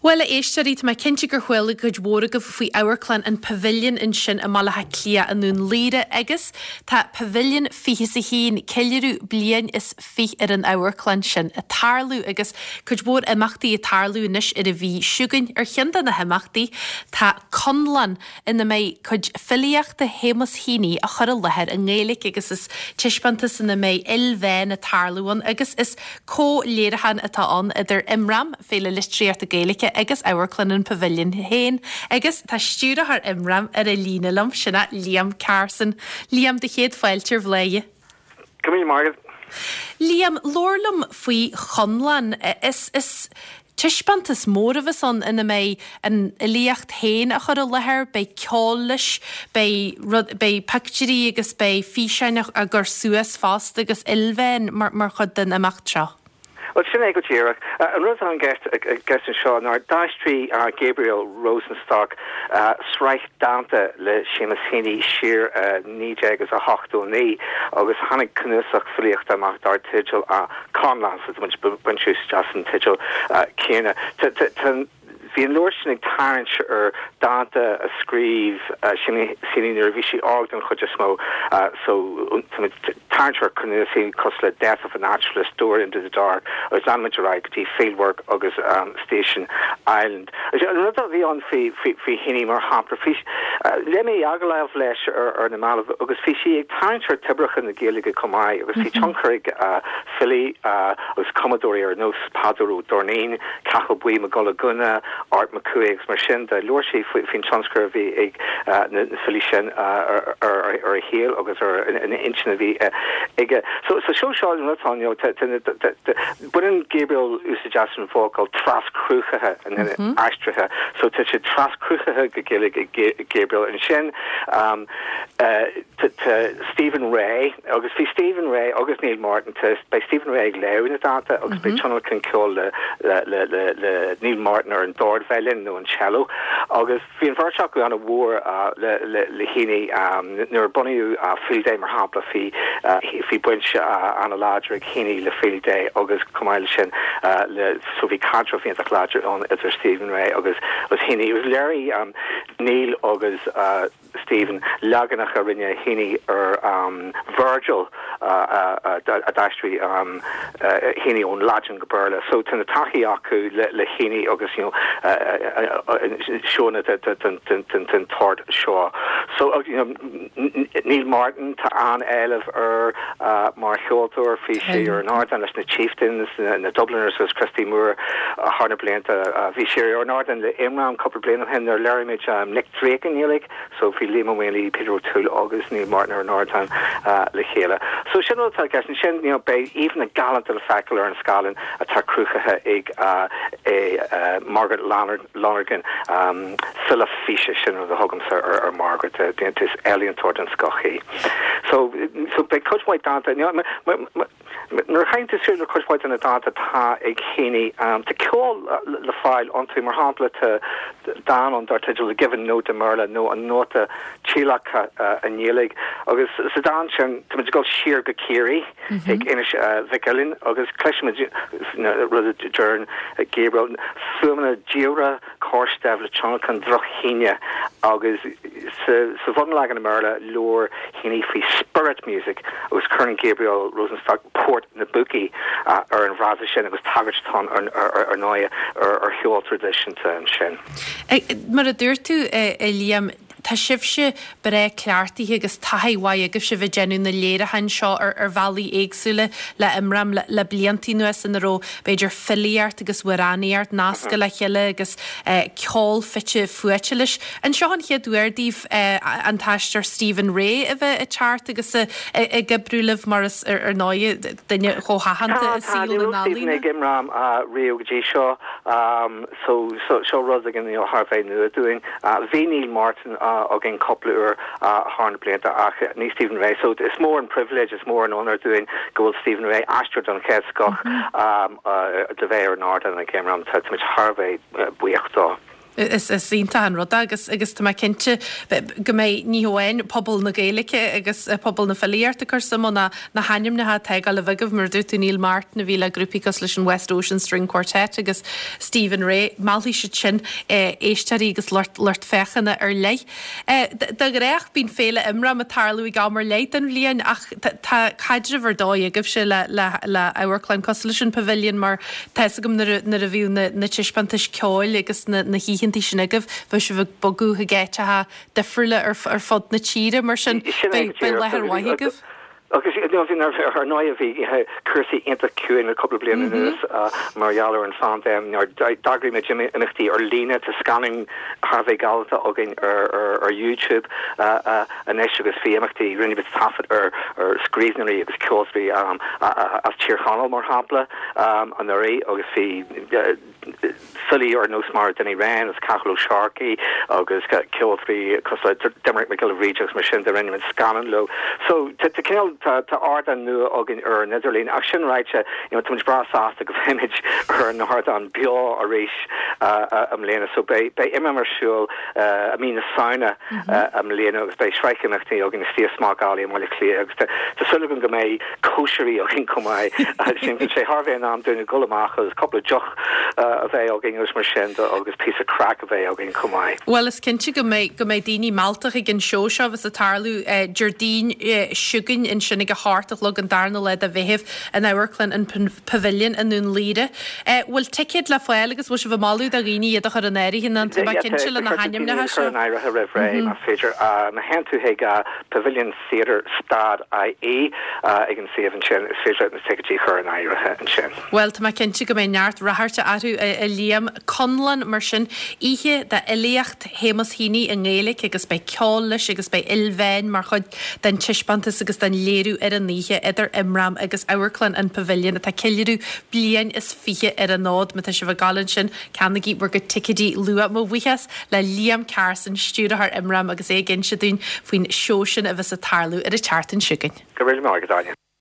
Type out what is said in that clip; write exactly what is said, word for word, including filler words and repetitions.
Bhuel a éisteoirí tá mé cinnte gur chuala cuid mhór agaibh faoi amharclann an Pavilion ansin i mBaile Átha Cliath i nDún Laoghaire agus tá Pavilion fiche is a haon ceiliúradh bliain is fiche ar an amharclann sin ag tarlú agus cuid mhór imeachtaí ag tarlú anois ar an mhí seo chugainn ar cheann de na himeachtaí tá Conlán ina mbeidh cuid filíochta Shéamus Heaney á chur i láthair i nGaeilge agus is taispeántas ina mbeidh ilmheán ag tarlú ann agus is comhléiriúchán atá ann idir Imram Féile Litríochta Gaeilge agus Amharclann an Pavilion féin agus tá stiúrthóir Imram ar an líne liom sin é Liam Carson. Liam do chéad fáilte ar Bhladhaire. Go míle maith agat. Liam labhair liom faoi Chonlán is is taispeántas mór a bheas ann ina mbeidh an fhilíocht féin á chur i láthair, beidh ceol leis, beidh rud beidh pictiúirí agus beidh físeáin á gcur suas fosta agus ilmheán mar mar chuid den imeacht seo. Well sin é go díreach. An rud atá i gceist anseo ná d'aistrigh Gabriel Rosenstock sraith dánta le Seamus Heaney siar naoi déag agus a hochtó naoi agus tháinig cnuasach filíochta amach dar teideal Conlán so baint úsáid as an teideal céanna. Bhí an leabhar sin ag tarraingt ar dánta a scríobh Seamus Heaney nuair a bhí sé óg den chuid is mó so tarraingt ar cnuasaigh cosúil le Death of a Naturalist, Door into the Dark agus leanfaimid ar aghaidh go dtí Fieldwork agus um, Station Island. An rud a bhí ann faoi faoi Heaney mar shampla léigh mé agallamh leis ar ar na mallaibh agus bhí sí ag tarraingt ar toibreacha na Gaeilge chomh maith agus bhí tionchar ag uh, filí uh, agus cumadóirí ar nós Peadar Ó Doirnín, Cathal Buí Mac Giolla Ghunna, Art Mac Cumhaigh agus mar sin de labhair sí faoin tionchar a bhí ag na filí sin ar a shaol agus ar an intinn a bhí aige. So so seo seo an baineann Gabriel úsáid as an bhfocal traschruthaithe an aistrithe, so tá sé traschruthaithe go Gaeilge ag Gabriel ansin um, uh, Stephen Rea agus bhí Stephen Rea agus Neil Martin beidh Stephen Rea ag léamh na dánta agus beidh tionlacan ceoil le le le le le Neil Martin ar an dordveidhil nó an cello agus bhí an bheirt acu an-mhór uh, le le le Heaney um, nuair bunaíodh uh, Field Day mar shampla bhí uh, bhí baint uh, an-láidir ag Heaney le Field Day agus chomh maith sin uh, le so bhí caidreamh an-láidir ann idir Stephen Rea agus agus Heaney was léirigh um, Neil agus uh, Stephen leaganacha a rinne Heaney ar um, Virgil uh, uh, uh, a d'aistrigh um, uh, Heaney ón Laidin go Béarla. So tá na taithí acu le, le Heaney agus you know, uh, uh, seona den tsórt seo. So uh, you know, Neil Martin tá an-éileamh air uh, mar cheoltóir bhí sé ar an ardán leis na Chieftains na, na Dubliners agus Christy Moore uh, thar na blianta uh, bhí sé ar an ardán le Imram cúpla bliain ó shin ar léirigh um, Nick Drake an Ghaeilge, so bhí Liam Ó Maonlaí Peter O'Toole agus Neil Martin ar an ardán uh, le chéile. So sin atá sin sin you know, beidh íomhánna galánta le feiceáil ar an scáileán atá cruthaithe ag uh, é uh, Margaret Lonergan um, file físe sin a thugaimse ar, ar Margaret uh, is ealaíontóir den scoth í. So so beidh cuid mhaith dánta nuair chaint sú le cuid mhaith na dánta atá ag Heaney um, tá ceol le fáil iontu mar shampla tá dán ann dar teideal a given note i mBéarla nó an nóta tíolactha uh, i nGaeilge agus sa dán sin tá gul siar go Ciarraí ag Inis uh, Mhic Uilinn agus cloisimid rud a deir Gabriel fuaimeanna diamhra cóirsteamh le tionlacan drochthine agus sa, sa bhunleagan i mBéarla labhair Heaney faoi spirit music agus cuireann Gabriel Rosenstock port na bpúcaí uh, ar an bhfrása sin agus tagairt atá ar ar ndóigh ar ar cheol traidisiúnta ansin. Mar a dúirt tú a Liam Tá sibhse breá cleachtaithe agus taithí mhaith agaibh sibh ag déanamh na léiriúcháin seo ar ar bhealaí éagsúla le Imram le, le blianta anuas ina raibh b'fhéidir filíocht agus amhránaíocht nasctha le chéile agus eh, ceol fite fuaite leis. An seo an chéad uair daoibh eh, an t-aisteoir Stephen Rea a bheith ag teacht agus ag oibriú libh mar is ar ar ndóigh duine chomh haitheanta i saol na n-ealaíon. ag Imram riamh go dtí seo um, so so seo rud againn thar bheith nua dúinn. Uh, bhí Neil Martin uh, againn cúpla uair thar na blianta ach ní Stephen Rea. So is mór an privilege is mór an onóir dúinn go bhfuil Stephen Rea aisteoir den chéad scoth um, uh, de bheith ar an ardán ag Imram tá muid thar bheith uh, buíoch dó. Is is iontach an rud é agus agus tá mé cinnte go mbeidh ní hamháin pobal na Gaeilge agus pobal na filíochta ag cur suim ann ach na hainmneacha atá ag dul a bheith agaibh mar a dúirt tú Neil Martin a bhí le grúpaí cosúil leis an West Ocean String Quartet agus Stephen Rea, meallfaidh siad sin éisteoirí agus lucht lucht féachana ar leith. De ghnách bíonn Féile Imram ag tarlú ag am ar leith den bhliain ach tá caidreamh ar dóigh agaibhse le le le amharclann cosúil leis an Pavilion mar tá fhios agam nuair a nuair a bhíodh na na taispeántais ceoil agus na na hoícheantaí sin agaibh, bheadh sibh ag bogadh chuig áiteacha difriúla ar ar fud na tíre, mar sin beidh beidh láthair mhaith agaibh. Agus ar ndóigh bhí cúrsaí iontach ciúin le cúpla bliain anuas mar gheall ar an phaindéim. D'eagraigh muid imeachtaí ar líne, tá scannáin thar a bheith galánta againn ar YouTube anois agus bhí imeachtaí, rinne muid taifead ar scríbhneoirí agus ceoltóirí as Tír Chonaill mar shampla anuraidh agus bhí filí ar nós mar Danny Wren agus Cathal Ó Searcaigh agus ceoltóirí cosúil le Doimnic Mac Giolla Bhríde agus mar sin de rinne muid scannán leo. So tá cineál tá tá ardán nua againn ar an idirlíon ach sin ráite you know tá muid breá sásta go mbeimid ar an ardán beo arís i mbliana. So beidh beidh Imram ar siúl i mí na Samhna i mbliana agus beidh sraith imeachtaí againn istigh i Smock Alley i mBaile Átha Cliath agus tá súil agam go mbeidh cóisirí againn chomh maith. Sin sé thar a bheith in am dúinn dul amach agus cúpla deoch a bheith againn agus mar sin de agus píosa craic a bheith againn chomh maith. Bhuel is cinnte go mbeidh go mbeidh daoine meallta chuig an seó seo a bheas ag tarlú Déardaoin seo chugainn ansin ag a hocht a chlog an darna lá de Mheitheamh in Amharclann an Pavilion i nDún Laoghaire. Bhfuil ticéid le fáil agus bhfuil sibh ag moladh do dhaoine iad a chur in áirithe nó tá mé cinnte le na hainmneacha seo? in áirithe roimh ré más féidir. Má théann tú chuig Pavilion Theatre dot ie ag an suíomh ansin is féidir leat na ticéidí a chur in áirithe ansin. Bhuel, tá mé cinnte go mbeidh neart ráchairt orthu, a Liam. Conlán, mar sin, oíche d'fhilíocht Shéamus Heaney i nGaeilge agus beidh ceol leis agus beidh ilmheáin mar chuid den taispeántas agus den léiriú ar an oíche idir Imram agus Amharclann an Pavilion atá ag ceiliúradh bliain is fiche ar an fhód. Má tá sibh ag gabháil ansin, ceannaigí bhur gcuid ticéidí luath. Mo bhuíochas le Liam Carson, stiúrthóir Imram agus é ag inse dúinn faoin seó sin a bheas ag tarlú ar an tseachtain seo chugainn. Go raibh maith agat, Áine.